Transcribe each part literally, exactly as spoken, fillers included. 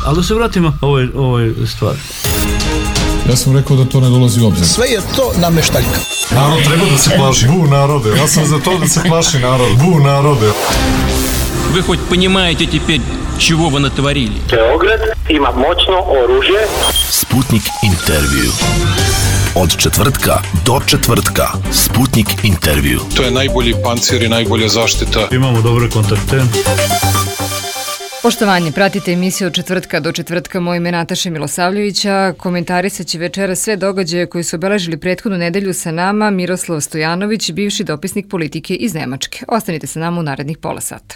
Ali da se vratimo ovoj, ovoj stvari. Ja sam rekao da to ne dolazi u obzir. Sve je to nameštaljka. Narod treba da se plaši. Bu narode. Ja sam za to da se plaši narod. Bu narode. Вы хоть понимаете теперь, чего вы натворили? Beograd ima moćno oružje. Sputnik intervju. Od četvrtka do četvrtka. Sputnik intervju. To je najbolji pancir i najbolja zaštita. Imamo dobre kontakte. Poštovanje, pratite emisiju od četvrtka do četvrtka. Moje ime Nataša Milosavljevića. Komentarisat će večera sve događaje koji su obeležili prethodnu nedelju sa nama Miroslav Stojanović, bivši dopisnik politike iz Nemačke. Ostanite sa nama u narednih pola sata.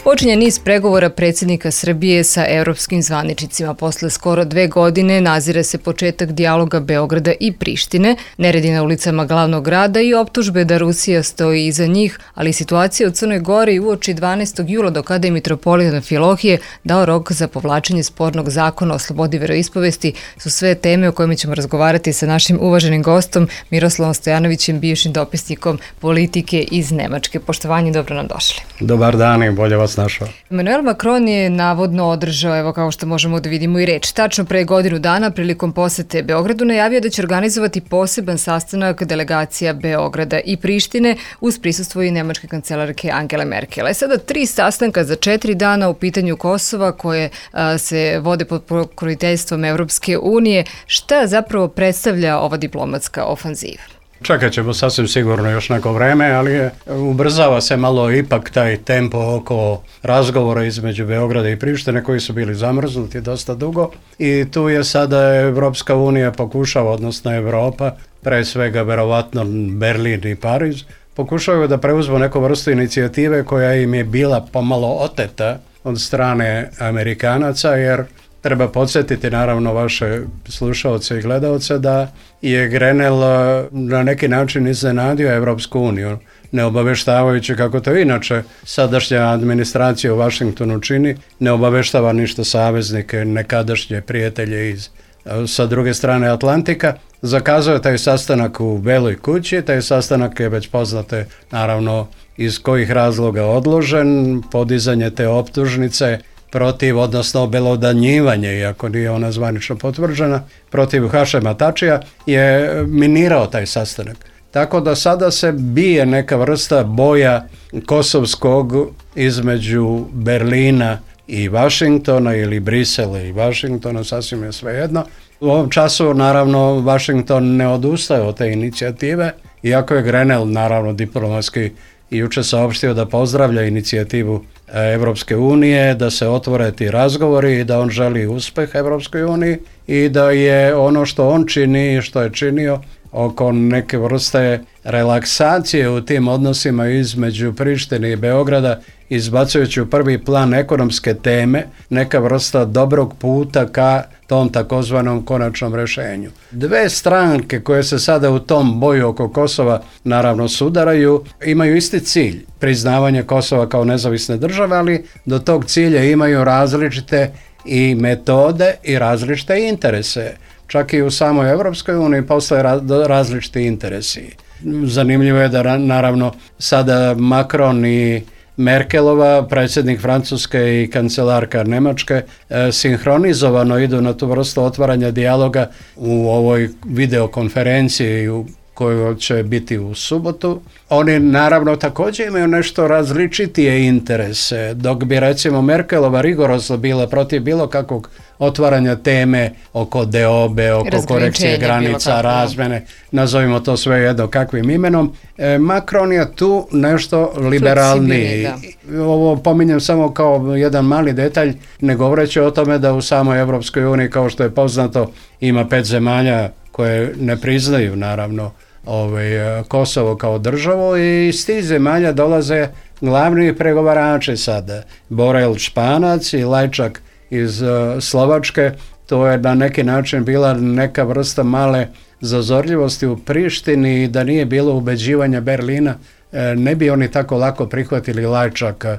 Počinje niz pregovora predsjednika Srbije sa evropskim zvaničnicima. Posle skoro dve godine nazire se početak dijaloga Beograda i Prištine, neredi na ulicama glavnog grada i optužbe da Rusija stoji iza njih, ali situacija u Crnoj Gori i uoči dvanaestog jula do kada je mitropolit Amfilohije dao rok za povlačenje spornog zakona o slobodi veroispovesti su sve teme o kojima ćemo razgovarati sa našim uvaženim gostom Miroslavom Stojanovićem, bivšim dopisnikom politike iz Nemačke. Poštovanje, dobro nam došli. Dobar dan i bolje vas našao. Emmanuel Macron je navodno održao, evo kao što možemo da vidimo i reč, tačno pre godinu dana prilikom posete Beogradu najavio da će organizovati poseban sastanak delegacija Beograda i Prištine uz prisustvo i nemačke kancelarke Angele Merkel. E sada tri sastanka za četiri dana u pitanju Kosova koje a, se vode pod pokroviteljstvom Evropske unije. Šta zapravo predstavlja ova diplomatska ofanziva? Čekat ćemo sasvim sigurno još neko vreme, ali je, ubrzava se malo ipak taj tempo oko razgovora između Beograda i Prištine koji su bili zamrznuti dosta dugo i tu je sada Evropska unija pokušava, odnosno Evropa, pre svega verovatno Berlin i Pariz, pokušavaju da preuzmu neku vrstu inicijative koja im je bila pomalo oteta od strane Amerikanaca, jer treba podsjetiti naravno vaše slušaoce i gledaoce da je Grenell na neki način iznenadio Evropsku uniju, ne obaveštavajući kako to inače sadašnja administracija u Vašingtonu čini, ne obaveštava ništa saveznike, nekadašnje prijatelje iz, sa druge strane Atlantika. Zakazao je taj sastanak u Beloj kući, taj sastanak je već poznate naravno iz kojih razloga odložen, podizanje te optužnice protiv, odnosno obelodanjivanje, iako nije ona zvanično potvrđena, protiv Hašema Tačija, je minirao taj sastanak. Tako da sada se bije neka vrsta boja kosovskog između Berlina i Vašingtona ili Brisela i Vašingtona, sasvim je svejedno. U ovom času, naravno, Vašington ne odustaje od te inicijative, iako je Grenell, naravno, diplomatski i juče saopštio da pozdravlja inicijativu Evropske unije, da se otvore ti razgovori i da on želi uspeh Evropskoj uniji i da je ono što on čini i što je činio oko neke vrste relaksacije u tim odnosima između Prištine i Beograda, izbacujući u prvi plan ekonomske teme, neka vrsta dobrog puta ka tom takozvanom konačnom rešenju. Dve stranke koje se sada u tom boju oko Kosova naravno sudaraju, imaju isti cilj, priznavanje Kosova kao nezavisne države, ali do tog cilja imaju različite i metode i različite interese. Čak i u samoj Evropskoj uniji postoje različiti interesi. Zanimljivo je da naravno sada Macron i Merkelova, predsjednik Francuske i kancelarka Nemačke, e, sinhronizovano idu na tu vrstu otvaranja dijaloga u ovoj videokonferenciji u kojoj će biti u subotu. Oni naravno također imaju nešto različitije interese, dok bi recimo Merkelova rigorozno bila protiv bilo kakvog otvaranja teme oko deobe, oko korekcije granica, razmene, nazovimo to sve jedno kakvim imenom. E, Macron je tu nešto liberalniji. Ovo pominjem samo kao jedan mali detalj, ne govoreći o tome da u samoj Evropskoj uniji, kao što je poznato, ima pet zemalja koje ne priznaju naravno ovaj, Kosovo kao državu i iz tih zemalja dolaze glavni pregovarači sada. Borel Španac i Lajčak iz uh, Slovačke. To je na neki način bila neka vrsta male zazorljivosti u Prištini i da nije bilo ubeđivanja Berlina, e, ne bi oni tako lako prihvatili Lajčaka.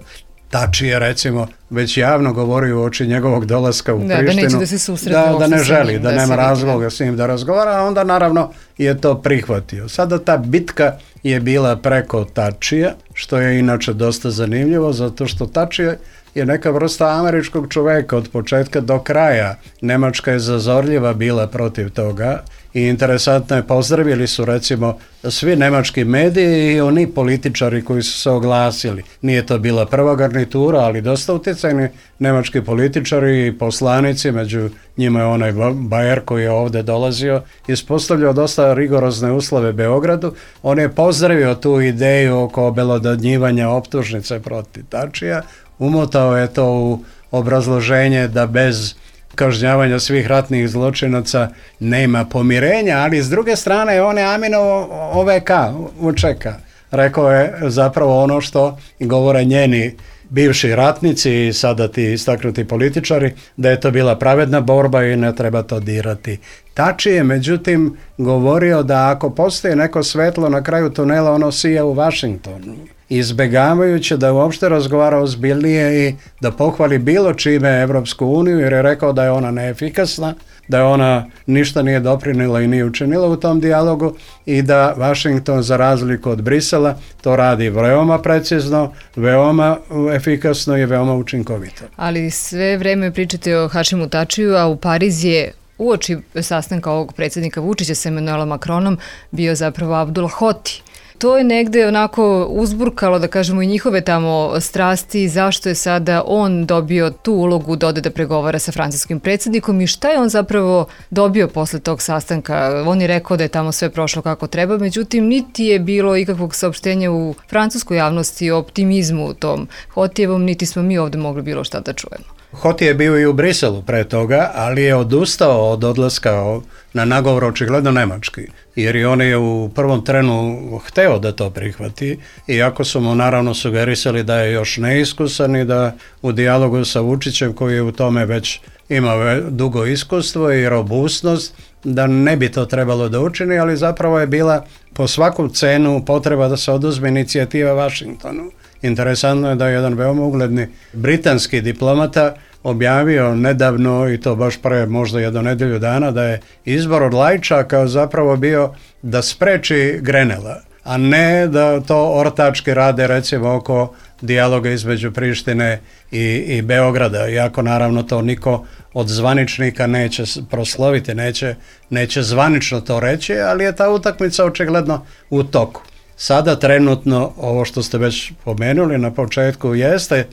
Tačije recimo već javno govori u oči njegovog dolaska u da, Prištinu. Da neće da se susretne. Da, da ne želi, da, da nema razloga s njim da razgovara, a onda naravno je to prihvatio. Sada ta bitka je bila preko Tačija, što je inače dosta zanimljivo, zato što Tačije je neka vrsta američkog čoveka od početka do kraja. Nemačka je zazorljiva bila protiv toga i interesantno je, pozdravili su recimo svi nemački mediji i oni političari koji su se oglasili. Nije to bila prva garnitura, ali dosta utjecajni nemački političari i poslanici, među njima je onaj Bayer koji je ovdje dolazio, ispostavljao dosta rigorozne uslove Beogradu. On je pozdravio tu ideju oko obelodanjivanja optužnice protiv Tačija, umotao je to u obrazloženje da bez kažnjavanja svih ratnih zločinaca nema pomirenja, ali s druge strane on je Aminovo O V K, U Č K. Rekao je zapravo ono što govore njeni bivši ratnici i sada ti istaknuti političari, da je to bila pravedna borba i ne treba to dirati. Tači je međutim govorio da ako postoji neko svetlo na kraju tunela, ono sija u Vašingtonu, izbjegavajući da uopšte razgovara ozbiljnije i da pohvali bilo čime Evropsku uniju, jer je rekao da je ona neefikasna, da je ona ništa nije doprinila i nije učinila u tom dijalogu i da Washington, za razliku od Brisela, to radi veoma precizno, veoma efikasno i veoma učinkovito. Ali sve vreme pričate o Hašimu Tačiju, a u Pariz je uoči sastanka ovog predsjednika Vučića sa Emanuelom Macronom bio zapravo Abdul Hoti. To je negde onako uzburkalo, da kažemo, i njihove tamo strasti, zašto je sada on dobio tu ulogu da ode da pregovara sa francuskim predsjednikom i šta je on zapravo dobio posle tog sastanka. On je rekao da je tamo sve prošlo kako treba, međutim, niti je bilo ikakvog saopštenja u francuskoj javnosti o optimizmu u tom Hotijevom, niti smo mi ovdje mogli bilo šta da čujemo. Hoti je bio i u Briselu pre toga, ali je odustao od odlaska na nagovor očigledno nemački, jer i on je u prvom trenu hteo da to prihvati, iako su mu naravno sugerisali da je još neiskusan i da u dijalogu sa Vučićem, koji je u tome već ima dugo iskustvo i robustnost, da ne bi to trebalo da učini, ali zapravo je bila po svaku cenu potreba da se oduzme inicijativa Vašingtonu. Interesantno je da je jedan veoma ugledni britanski diplomata objavio nedavno, i to baš pre možda jedno nedelju dana, da je izbor od Lajčaka zapravo bio da spreči Grenela, a ne da to ortački rade recimo oko dijaloga između Prištine i, i Beograda, iako naravno to niko od zvaničnika neće prosloviti, neće, neće zvanično to reći, ali je ta utakmica očigledno u toku. Sada trenutno, ovo što ste već pomenuli na početku, jeste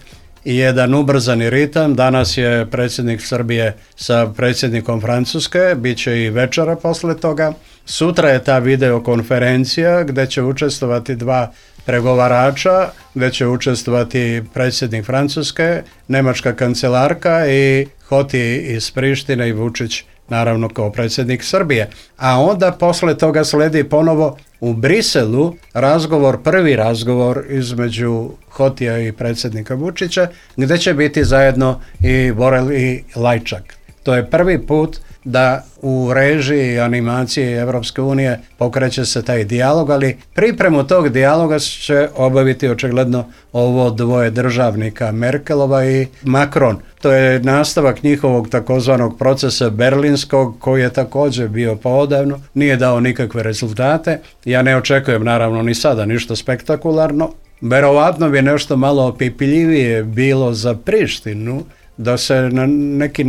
jedan ubrzani ritam. Danas je predsjednik Srbije sa predsjednikom Francuske, bit će i večera posle toga. Sutra je ta videokonferencija gdje će učestvovati dva pregovarača, gdje će učestvovati predsjednik Francuske, nemačka kancelarka i Hoti iz Prištine i Vučić naravno kao predsjednik Srbije. A onda posle toga sledi ponovo u Briselu razgovor, prvi razgovor između Hotija i predsjednika Vučića, gdje će biti zajedno i Borel i Lajčak. To je prvi put da u režiji animacije Evropske unije pokreće se taj dijalog, ali pripremu tog dijaloga će obaviti očigledno ovo dvoje državnika, Merkelova i Macron. To je nastavak njihovog takozvanog procesa berlinskog, koji je također bio poodavno, nije dao nikakve rezultate. Ja ne očekujem naravno ni sada ništa spektakularno. Verovatno bi nešto malo opipljivije bilo za Prištinu, da se na neki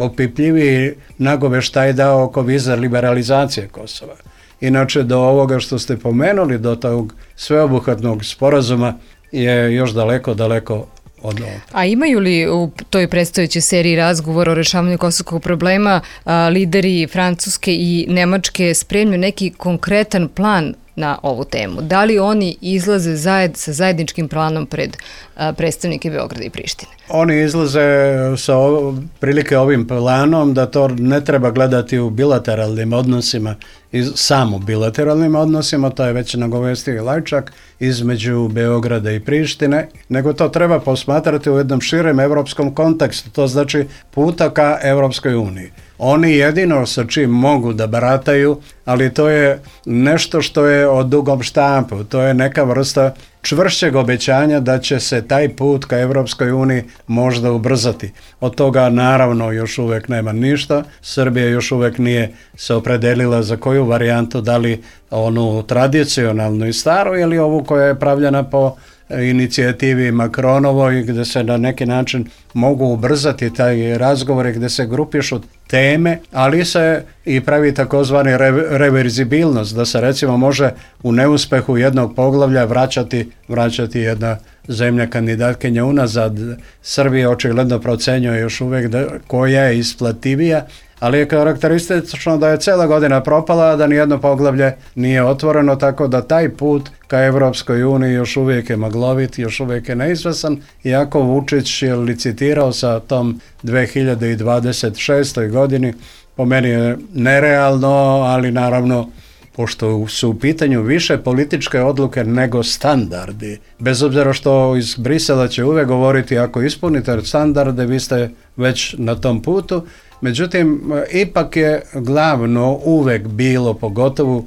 opipljiviji nagoveštaj dao oko viza liberalizacije Kosova. Inače, do ovoga što ste pomenuli, do tog sveobuhvatnog sporazuma je još daleko, daleko od ovoga. A imaju li u toj predstojećoj seriji razgovora o rešavanju kosovskog problema a, lideri Francuske i Nemačke spremni neki konkretan plan na ovu temu? Da li oni izlaze zajed, sa zajedničkim planom pred a, predstavnike Beograda i Prištine? Oni izlaze sa ov, prilike ovim planom da to ne treba gledati u bilateralnim odnosima, iz, samo bilateralnim odnosima, to je već nagovestio i Lajčak, između Beograda i Prištine, nego to treba posmatrati u jednom širem evropskom kontekstu, to znači puta ka Evropskoj uniji. Oni jedino sa čim mogu da barataju, ali to je nešto što je od dugom štampu, to je neka vrsta čvršćeg obećanja da će se taj put ka Evropskoj uniji možda ubrzati. Od toga naravno još uvijek nema ništa. Srbija još uvijek nije se opredelila za koju varijantu, da li onu tradicionalnu i staru ili ovu koja je pravljena po inicijativi Macronovoj gdje se na neki način mogu ubrzati taj razgovor gdje se grupišu teme, ali se i pravi takozvani reverzibilnost, da se recimo može u neuspehu jednog poglavlja vraćati, vraćati jedna zemlja kandidatkinja unazad. Srbija očigledno procenjuje još uvijek da, koja je isplativija, ali je karakteristično da je cijela godina propala, a da nijedno poglavlje nije otvoreno, tako da taj put ka Evropskoj uniji još uvijek je maglovit, još uvijek je neizvesan, iako Vučić je licitirao sa tom dve hiljade dvadeset šestoj godini, po meni je nerealno, ali naravno pošto su u pitanju više političke odluke nego standardi. Bez obzira što iz Brisela će uvijek govoriti ako ispunite standarde, vi ste već na tom putu. Međutim, ipak je glavno uvijek bilo, pogotovo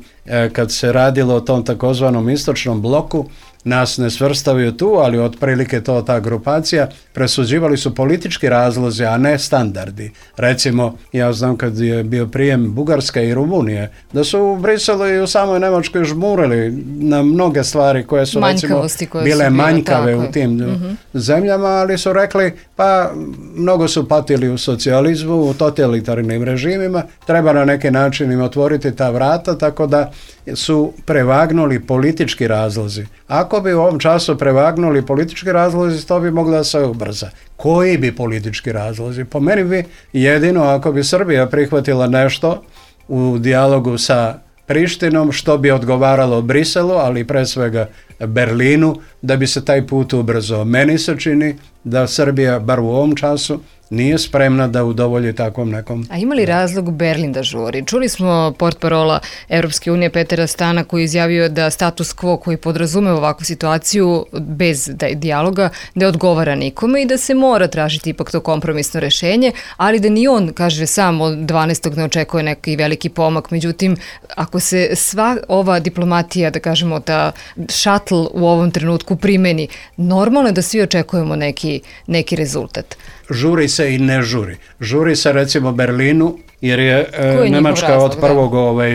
kad se radilo o tom takozvanom istočnom bloku, nas ne svrstavaju tu, ali otprilike to ta grupacija, presuđivali su politički razlozi, a ne standardi. Recimo, ja znam kad je bio prijem Bugarske i Rumunije, da su u Briselu i u samoj Njemačkoj žmurili na mnoge stvari koje su recimo bile manjkave u tim mm-hmm. zemljama, ali su rekli, pa mnogo su patili u socijalizmu, u totalitarnim režimima, treba na neki način im otvoriti ta vrata, tako da su prevagnuli politički razlozi. Ako bi u ovom času prevagnuli politički razlozi, to bi moglo da se ubrza. Koji bi politički razlozi? Po meni bi jedino ako bi Srbija prihvatila nešto u dijalogu sa Prištinom, što bi odgovaralo Briselu, ali pre svega Berlinu, da bi se taj put ubrzao. Meni se čini da Srbija, bar u ovom času, nije spremna da udovolji takvom nekom... A ima li razlog Berlin da žuri? Čuli smo portparola Evropske unije Petera Stana koji je izjavio da status quo koji podrazume ovakvu situaciju bez dijaloga ne odgovara nikome i da se mora tražiti ipak to kompromisno rešenje, ali da ni on, kaže sam, od dvanaestog ne očekuje neki veliki pomak. Međutim, ako se sva ova diplomatija, da kažemo, ta šatl u ovom trenutku primeni, normalno je da svi očekujemo neki, neki rezultat. Žuri se i ne žuri. Žuri se recimo Berlinu, jer je, je Nemačka razlog, od prvog ovaj,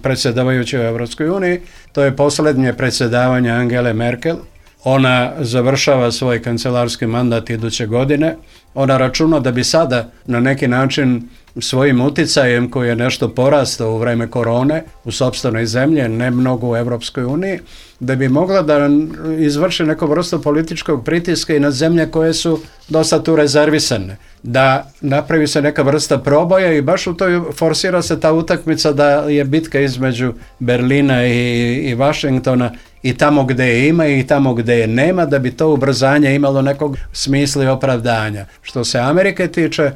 predsjedavajuće u Evropskoj uniji, to je posljednje predsjedavanje Angele Merkel. Ona završava svoj kancelarski mandat iduće godine. Ona računa da bi sada na neki način svojim uticajem koji je nešto porastao u vreme korone u sopstvenoj zemlji, ne mnogo u Evropskoj uniji, da bi mogla da izvrši neku vrstu političkog pritiska i na zemlje koje su dosta tu rezervisane. Da napravi se neka vrsta proboja i baš u toj forsira se ta utakmica da je bitka između Berlina i, i Vašingtona i tamo gdje je ima i tamo gdje je nema, da bi to ubrzanje imalo nekog smisla i opravdanja. Što se Amerike tiče,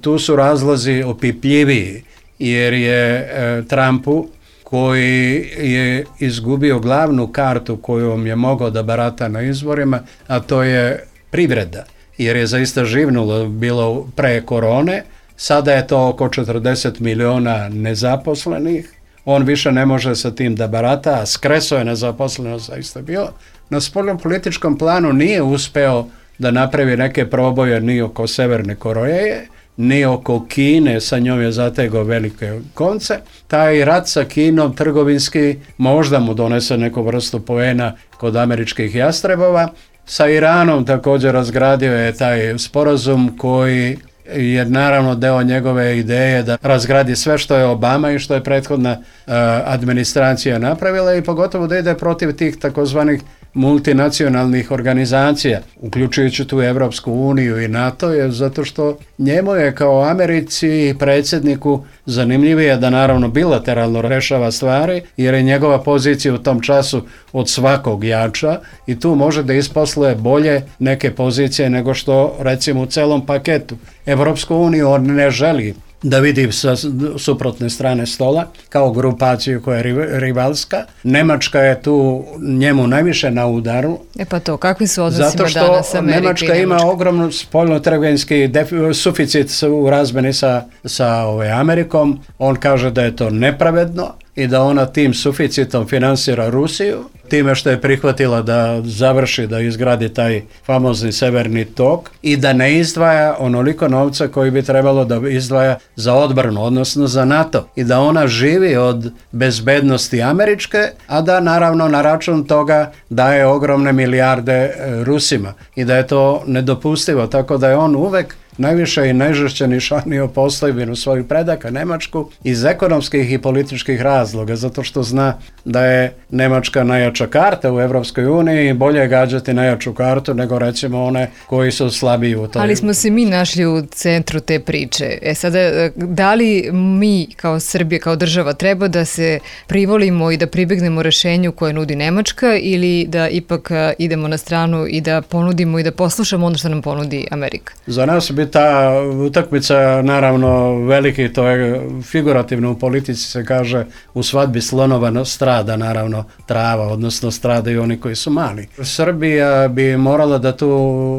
tu su razlozi opipljiviji, jer je e, Trumpu, koji je izgubio glavnu kartu kojom je mogao da barata na izborima, a to je privreda, jer je zaista živnulo bilo pre korone, sada je to oko četrdeset miliona nezaposlenih, on više ne može sa tim da barata, a skreso je nezaposlenost zaista bio. Na spoljnom političkom planu nije uspeo da napravi neke proboje ni oko Severne Koreje, ni oko Kine, sa njom je zategao velike konce. Taj rat sa Kinom trgovinski možda mu donese neku vrstu poena kod američkih jastrebova. Sa Iranom također razgradio je taj sporazum koji je naravno deo njegove ideje da razgradi sve što je Obama i što je prethodna uh, administracija napravila i pogotovo da ide protiv tih takozvanih multinacionalnih organizacija, uključujući tu Evropsku uniju i NATO, je zato što njemu je kao Americi i predsjedniku zanimljivije da naravno bilateralno rešava stvari, jer je njegova pozicija u tom času od svakog jača i tu može da isposluje bolje neke pozicije nego što recimo u celom paketu. Evropsku uniju on ne želi da vidi sa suprotne strane stola kao grupaciju koja je rivalska. Nemačka je tu njemu najviše na udaru. E pa to, kakvi su odnosima danas Amerike? Zato što Nemačka ima ogromnu spoljno-trgovinski suficit u razmeni sa, sa ove, Amerikom. On kaže da je to nepravedno i da ona tim suficitom finansira Rusiju. time što je prihvatila da završi, da izgradi taj famozni severni tok i da ne izdvaja onoliko novca koji bi trebalo da izdvaja za odbranu, odnosno za NATO, i da ona živi od bezbednosti američke, a da naravno na račun toga daje ogromne milijarde Rusima i da je to nedopustivo, tako da je on uvek najviše i najžešće nišanio postojbinu svojih predaka Nemačku iz ekonomskih i političkih razloga, zato što zna da je Nemačka najjača karta u Evropskoj uniji i bolje je gađati najjaču kartu nego recimo one koji su slabiji u toj. Ali smo se mi našli u centru te priče. E sada, da li mi kao Srbija, kao država treba da se privolimo i da pribjegnemo rešenju koje nudi Nemačka ili da ipak idemo na stranu i da ponudimo i da poslušamo ono što nam ponudi Amerika? Za nas bi ta utakmica naravno veliki, to je figurativno u politici se kaže u svadbi slonova strada naravno trava, odnosno stradaju oni koji su mali. Srbija bi morala da tu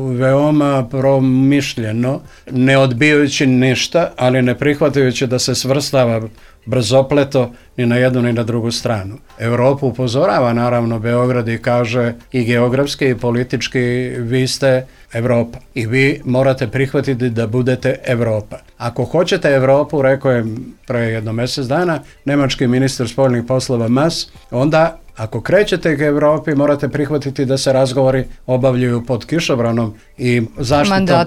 veoma promišljeno, ne odbijajući ništa, ali ne prihvatajući da se svrstava brzopleto ni na jednu ni na drugu stranu. Europu upozorava naravno Beograd i kaže i geografski i politički vi ste Evropa i vi morate prihvatiti da budete Evropa. Ako hoćete Evropu, rekao je pre jedno mjesec dana nemački ministar spoljnih poslova Mas, onda ako krećete ka Evropi, morate prihvatiti da se razgovori obavljaju pod kišobranom i zaštitom,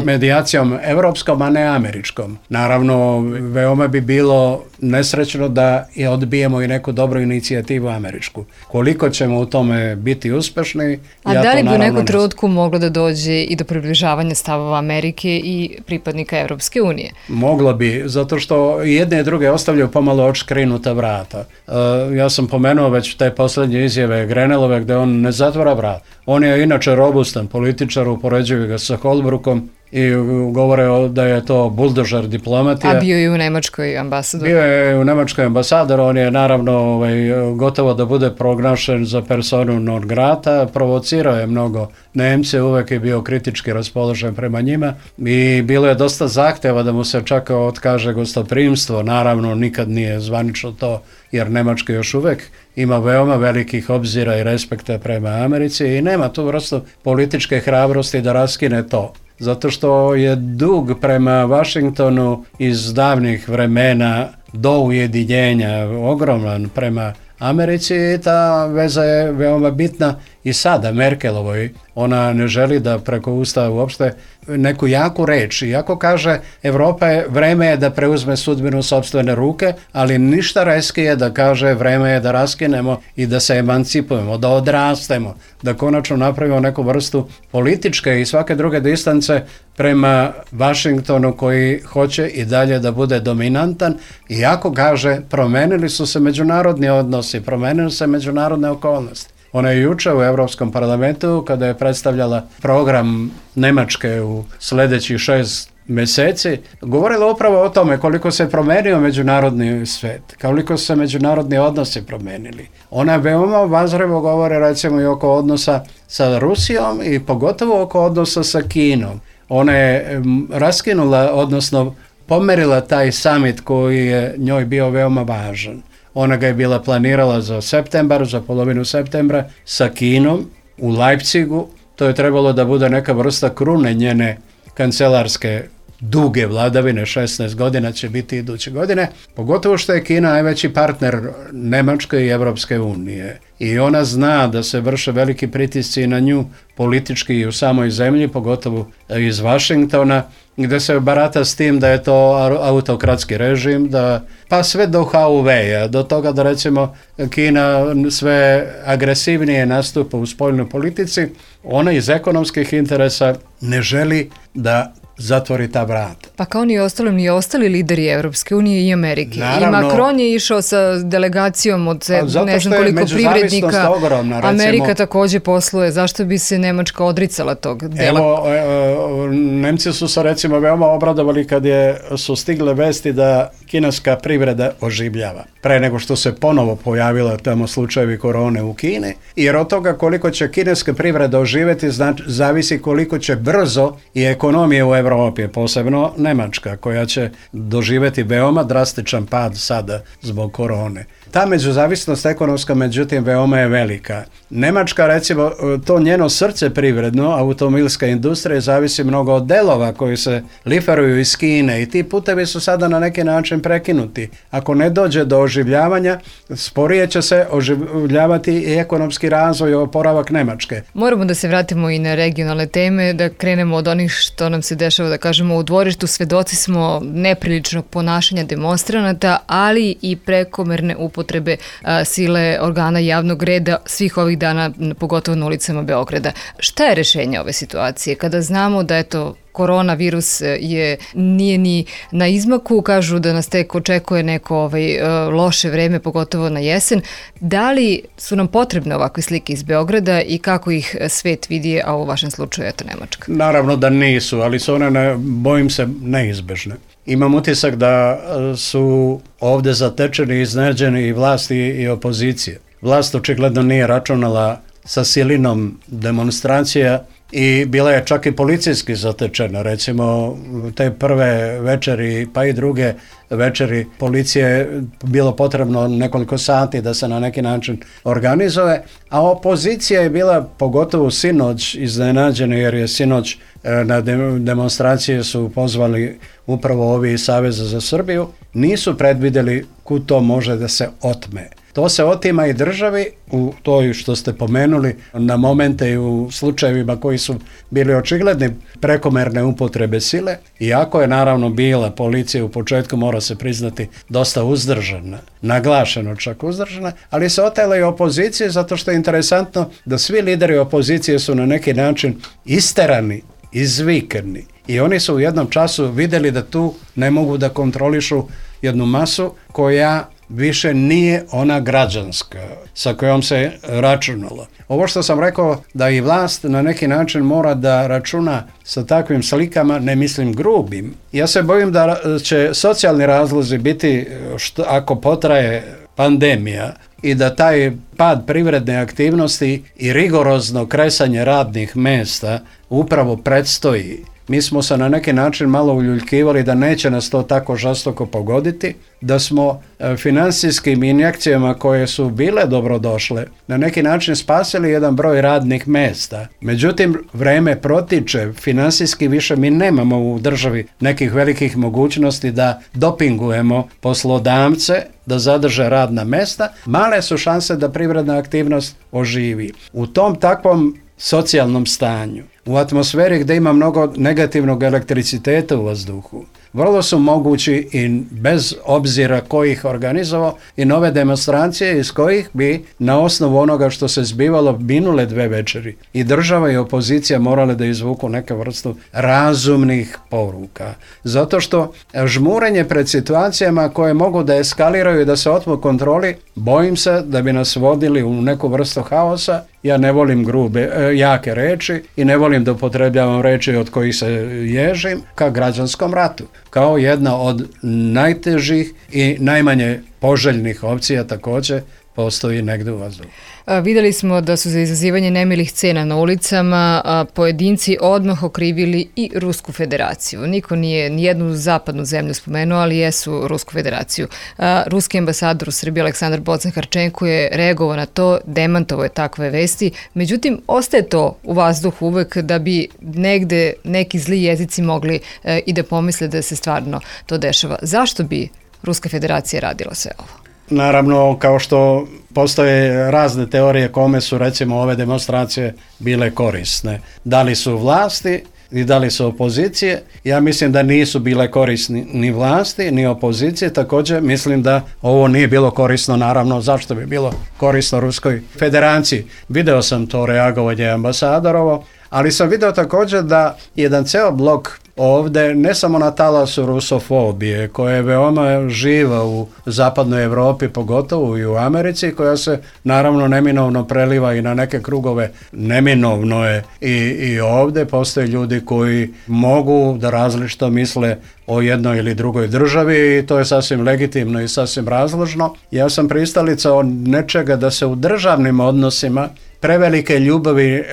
medijacijom evropskom, a ne američkom. Naravno, veoma bi bilo nesrećno da je odbijemo i neku dobru inicijativu američku. Koliko ćemo u tome biti uspešni, a ja da li to bi u neku ne trenutku moglo da dođe i do približavanja stavova Amerike i pripadnika Evropske unije? Moglo bi, zato što jedne i druge ostavljaju pomalo odškrinuta vrata. Uh, ja sam pomenuo već te posljednje izjave Grenelove gdje on ne zatvara vrat. On je inače robustan političar, upoređuju ga sa Holbrookom i govore da je to buldožer diplomatija. A bio je u Nemačkoj ambasador. Bio je u Nemačkoj ambasador, on je naravno ovaj, gotovo da bude proglašen za personu non grata, provocirao je mnogo Nemce, uvek je bio kritički raspoložen prema njima i bilo je dosta zahtjeva da mu se čak otkaže gostoprimstvo, naravno nikad nije zvanično to, jer Nemačka još uvek ima veoma velikih obzira i respekta prema Americi i nema tu vrstu političke hrabrosti da raskine to. Zato što je dug prema Vašingtonu iz davnih vremena do ujedinjenja ogroman prema Americi i ta veza je veoma bitna i sada Merkelovoj. Ona ne želi da preko Ustava uopšte neku jaku reč. Iako kaže Evropa je, vreme je da preuzme sudbinu sopstvene ruke, ali ništa reskije da kaže vreme je da raskinemo i da se emancipujemo, da odrastemo, da konačno napravimo neku vrstu političke i svake druge distance prema Vašingtonu koji hoće i dalje da bude dominantan. Iako kaže promenili su se međunarodni odnosi, promenili se međunarodne okolnosti. Ona je juče u Evropskom parlamentu kada je predstavljala program Nemačke u sljedećih šest mjeseci, govorila upravo o tome koliko se promenio međunarodni svet, koliko su se međunarodni odnosi promenili. Ona veoma obazrivo govore recimo i oko odnosa sa Rusijom i pogotovo oko odnosa sa Kinom. Ona je raskinula, odnosno pomerila taj summit koji je njoj bio veoma važan. Ona ga je bila planirala za septembar, za polovinu septembra sa Kinom u Leipzigu. To je trebalo da bude neka vrsta krune njene kancelarske duge vladavine, šesnaest godina će biti iduće godine, pogotovo što je Kina najveći partner Nemačke i Evropske unije. I ona zna da se vrše veliki pritisci na nju politički i u samoj zemlji, pogotovo iz Vašingtona, gdje se barata s tim da je to autokratski režim, da, pa sve do Huawei-a, do toga da recimo Kina sve agresivnije nastupa u spoljnoj politici, ona iz ekonomskih interesa ne želi da zatvori ta vrata. Pa kao ni ostali, ni ostali lideri Evropske unije i Amerike. Naravno, i Macron je išao sa delegacijom od ne znam koliko privrednika. Ogromna, Amerika također posluje. Zašto bi se Nemačka odricala tog dela? Evo, e, Nemci su se recimo veoma obradovali kad je, su stigle vesti da kineska privreda oživljava. Pre nego što se ponovo pojavila tamo slučajevi korone u Kini. Jer od toga koliko će kineska privreda oživjeti znači, zavisi koliko će brzo i ekonomije u Evropi, posebno Nemačka, koja će doživjeti veoma drastičan pad sada zbog korone. Ta međuzavisnost ekonomska, međutim, veoma je velika. Nemačka, recimo, to njeno srce privredno, automobilska industrija, zavisi mnogo od delova koji se liferuju iz Kine i ti putevi su sada na neki način prekinuti. Ako ne dođe do oživljavanja, sporije će se oživljavati i ekonomski razvoj i oporavak Nemačke. Moramo da se vratimo i na regionalne teme, da krenemo od onih što nam se dešava, da kažemo, u dvorištu. Svedoci smo nepriličnog ponašanja demonstranata, ali i prekomerne upotrebe a, sile organa javnog reda svih ovih dana, pogotovo na ulicama Beograda. Šta je rešenje ove situacije? Kada znamo da eto, koronavirus je, nije ni na izmaku, kažu da nas tek očekuje neko ovaj, loše vreme, pogotovo na jesen. Da li su nam potrebne ovakve slike iz Beograda i kako ih svet vidi, a u vašem slučaju eto Nemačka? Naravno da nisu, ali su one, ne, bojim se, neizbežne. Imam utisak da su ovdje zatečeni i iznenađeni i vlasti i opozicije. Vlast očigledno nije računala sa silinom demonstracija i bila je čak i policijski zatečena. Recimo, te prve večeri, pa i druge večeri policije bilo potrebno nekoliko sati da se na neki način organizuje, a opozicija je bila pogotovo sinoć iznenađena, jer je sinoć na demonstracije su pozvali upravo ovi iz Saveza za Srbiju, nisu predvidjeli kud to može da se otme. To se otima i državi u toj što ste pomenuli na momente i u slučajevima koji su bili očigledni prekomerne upotrebe sile, iako je naravno bila policija u početku, mora se priznati, dosta uzdržana, naglašeno čak uzdržana, ali se otela i opozicije zato što je interesantno da svi lideri opozicije su na neki način isterani, izvikani i oni su u jednom času vidjeli da tu ne mogu da kontrolišu jednu masu koja više nije ona građanska sa kojom se računalo. Ovo što sam rekao da i vlast na neki način mora da računa sa takvim slikama, ne mislim grubim. Ja se bojim da će socijalni razlozi biti, što, ako potraje pandemija i da taj pad privredne aktivnosti i rigorozno kresanje radnih mesta upravo predstoji. Mi smo se na neki način malo uljuljkivali da neće nas to tako žestoko pogoditi, da smo financijskim injekcijama koje su bile dobrodošle na neki način spasili jedan broj radnih mesta. Međutim, vreme protiče, financijski više mi nemamo u državi nekih velikih mogućnosti da dopingujemo poslodavce da zadrže radna mesta. Male su šanse da privredna aktivnost oživi. U tom takvom socijalnom stanju, u atmosferi gdje ima mnogo negativnog elektriciteta u vazduhu, vrlo su mogući i bez obzira ko ih organizovao i nove demonstracije iz kojih bi na osnovu onoga što se zbivalo minule dve večeri i država i opozicija morale da izvuku neke vrstu razumnih poruka. Zato što žmurenje pred situacijama koje mogu da eskaliraju i da se otmu kontroli, bojim se da bi nas vodili u neku vrstu haosa. Ja ne volim grube, jake reči i ne volim da upotrebljavam reči od kojih se ježim, ka građanskom ratu, kao jedna od najtežih i najmanje poželjnih opcija također postoji negdje u vazduhu. A, vidjeli smo da su za izazivanje nemilih scena na ulicama a, pojedinci odmah okrivili i Rusku federaciju. Niko nije nijednu zapadnu zemlju spomenuo, ali jesu Rusku federaciju. A, ruski ambasador u Srbiji Aleksandar Bocan-Harčenko je reagovao na to, demantovao je takve vesti. Međutim, ostaje to u vazduhu uvek da bi negde neki zli jezici mogli e, i da pomisle da se stvarno to dešava. Zašto bi Ruska federacija radila sve ovo? Naravno, kao što postoje razne teorije kome su recimo ove demonstracije bile korisne. Da li su vlasti i da li su opozicije? Ja mislim da nisu bile korisni ni vlasti ni opozicije. Također mislim da ovo nije bilo korisno, naravno, zašto bi bilo korisno Ruskoj federaciji. Video sam to reagovanje ambasadorovo, ali sam video također da jedan ceo blok ovdje, ne samo na talasu rusofobije, koja je veoma živa u zapadnoj Europi, pogotovo i u Americi, koja se naravno neminovno preliva i na neke krugove. Neminovno je i, i ovdje postoje ljudi koji mogu da različito misle o jednoj ili drugoj državi i to je sasvim legitimno i sasvim razložno. Ja sam pristalica od nečega da se u državnim odnosima prevelike ljubavi e,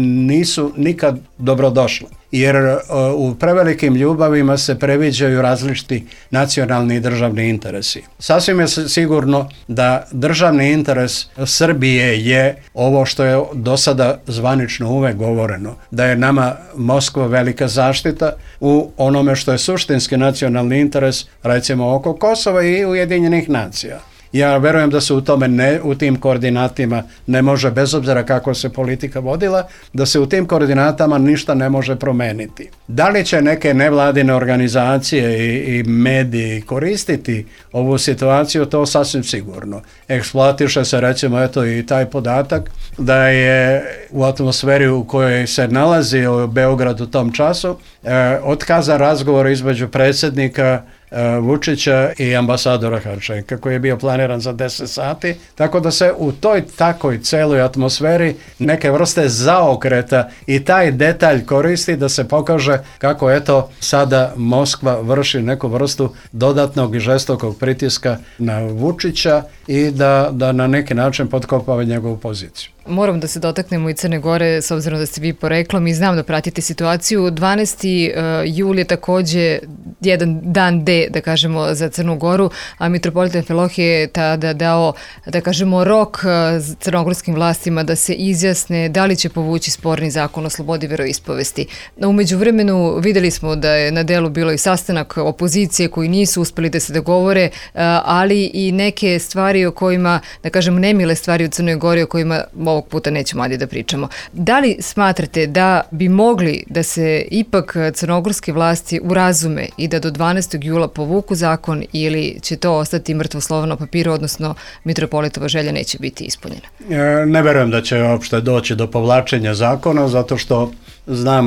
nisu nikad dobrodošle. jer u prevelikim ljubavima se previđaju različiti nacionalni i državni interesi. Sasvim je sigurno da državni interes Srbije je ovo što je do sada zvanično uvek govoreno, da je nama Moskva velika zaštita u onome što je suštinski nacionalni interes, recimo oko Kosova i Ujedinjenih nacija. Ja verujem da se u tome ne, u tim koordinatima ne može, bez obzira kako se politika vodila, da se u tim koordinatama ništa ne može promeniti. Da li će neke nevladine organizacije i, i mediji koristiti ovu situaciju, to sasvim sigurno. Eksploatiše se recimo eto i taj podatak da je u atmosferi u kojoj se nalazi u Beogradu u tom času eh, otkazan razgovor između predsjednika Vučića i ambasadora Harčenka koji je bio planiran za deset sati, tako da se u toj takoj celoj atmosferi neke vrste zaokreta i taj detalj koristi da se pokaže kako eto sada Moskva vrši neku vrstu dodatnog i žestokog pritiska na Vučića i da, da na neki način potkopava njegovu poziciju. Moram da se dotaknemo i Crne Gore, s obzirom da ste vi poreklom i znam da pratite situaciju. dvanaesti jul je takođe jedan dan D, da kažemo, za Crnu Goru, a mitropolita Amfilohije je tada dao, da kažemo, rok crnogorskim vlastima da se izjasne da li će povući sporni zakon o slobodi veroispovesti. Umeđu vremenu videli smo da je na delu bilo i sastanak opozicije koji nisu uspeli da se dogovore, ali i neke stvari o kojima, da kažem, nemile stvari u Crnoj Gori o kojima ovog puta nećemo ajde da pričamo. Da li smatrate da bi mogli da se ipak crnogorske vlasti urazume i da do dvanaestog jula povuku zakon ili će to ostati mrtvo slovo na papiru, odnosno mitropolitova želja neće biti ispunjena? E, ne verujem da će uopšte doći do povlačenja zakona, zato što znam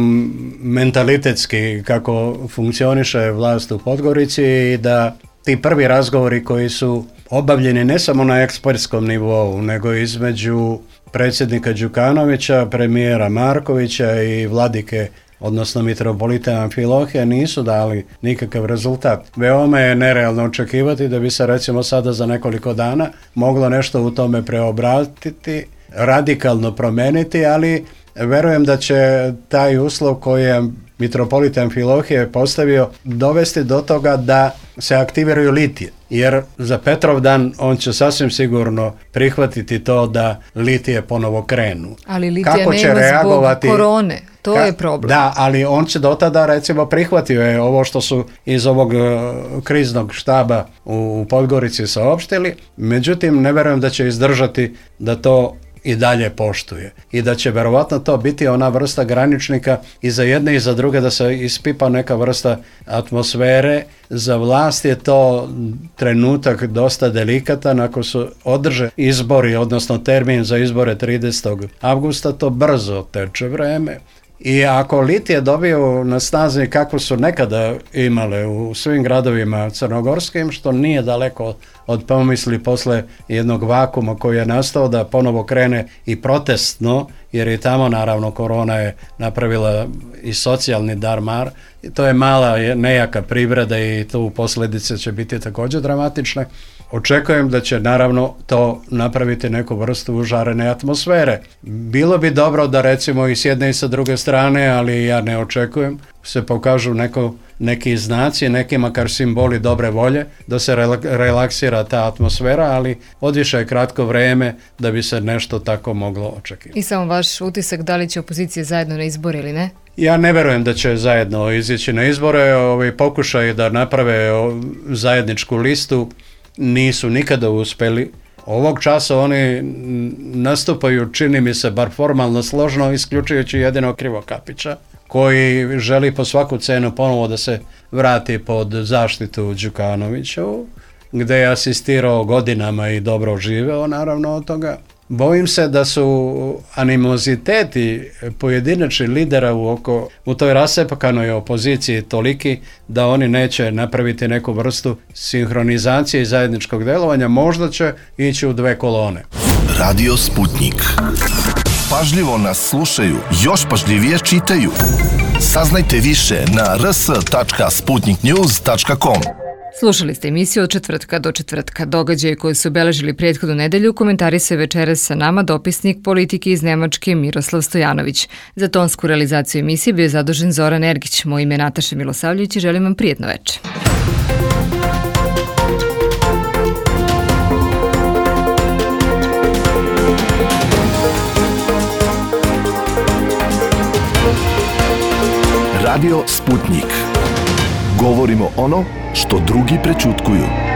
mentalitetski kako funkcioniše vlast u Podgorici i da ti prvi razgovori koji su obavljeni ne samo na ekspertskom nivou, nego između predsjednika Đukanovića, premijera Markovića i vladike, odnosno mitropolita Amfilohija, nisu dali nikakav rezultat. Veoma je nerealno očekivati da bi se recimo sada za nekoliko dana moglo nešto u tome preobratiti, radikalno promeniti, ali verujem da će taj uslov koji je mitropolit Amfilohije postavio dovesti do toga da se aktiviraju litije. Jer za Petrovdan on će sasvim sigurno prihvatiti to da litije ponovo krenu. Ali litija kako nema će reagovati zbog korone, to ka, je problem. Da, ali on će do tada recimo prihvatio je ovo što su iz ovog uh, kriznog štaba u, u Podgorici saopštili, međutim ne verujem da će izdržati da to i dalje poštuje i da će verovatno to biti ona vrsta graničnika i za jedne i za druge da se ispipa neka vrsta atmosfere. Za vlast je to trenutak dosta delikatan, ako su održe izbori, odnosno termin za izbore tridesetog avgusta, to brzo teče vreme. I ako litije dobiju na snazi kako su nekada imale u svim gradovima crnogorskim, što nije daleko od pomisli posle jednog vakuma koji je nastao da ponovo krene i protestno, jer i tamo naravno korona je napravila i socijalni darmar. I to je mala, nejaka privreda i tu posljedice će biti također dramatične. Očekujem da će naravno to napraviti neku vrstu užarene atmosfere. Bilo bi dobro da recimo i s jedne i sa druge strane, ali ja ne očekujem, se pokažu neko, neki znaci, neki makar simboli dobre volje, da se relaksira ta atmosfera, ali odviše je kratko vreme da bi se nešto tako moglo očekivati. I samo vaš utisak, da li će opozicija zajedno na izbor ili ne? Ja ne verujem da će zajedno izići na izbore. Ovi pokušaj da naprave zajedničku listu nisu nikada uspeli. Ovog časa oni nastupaju, čini mi se, bar formalno složno, isključujući jedino Krivokapića, koji želi po svaku cenu ponovo da se vrati pod zaštitu Đukanoviću, gde je asistirao godinama i dobro živeo naravno od toga. Bojim se da su animoziteti pojedinačnih lidera u, oko, u toj rasepakanoj opoziciji toliki da oni neće napraviti neku vrstu sinhronizacije i zajedničkog delovanja, možda će ići u dve kolone. Radio Sputnik. Pažljivo nas slušaju, još pažljivije čitaju. Saznajte više na r s tačka sputnik news tačka com. Slušali ste emisiju od četvrtka do četvrtka. Događaje koje su obeležili prethodnu nedelju komentarisao je večeras sa nama dopisnik politike iz Nemačke Miroslav Stojanović. Za tonsku realizaciju emisije bio je zadužen Zoran Ergić. Moje ime je Nataša Milosavljević i želim vam prijetno večer. Radio Sputnik. Govorimo ono što drugi prećutkuju.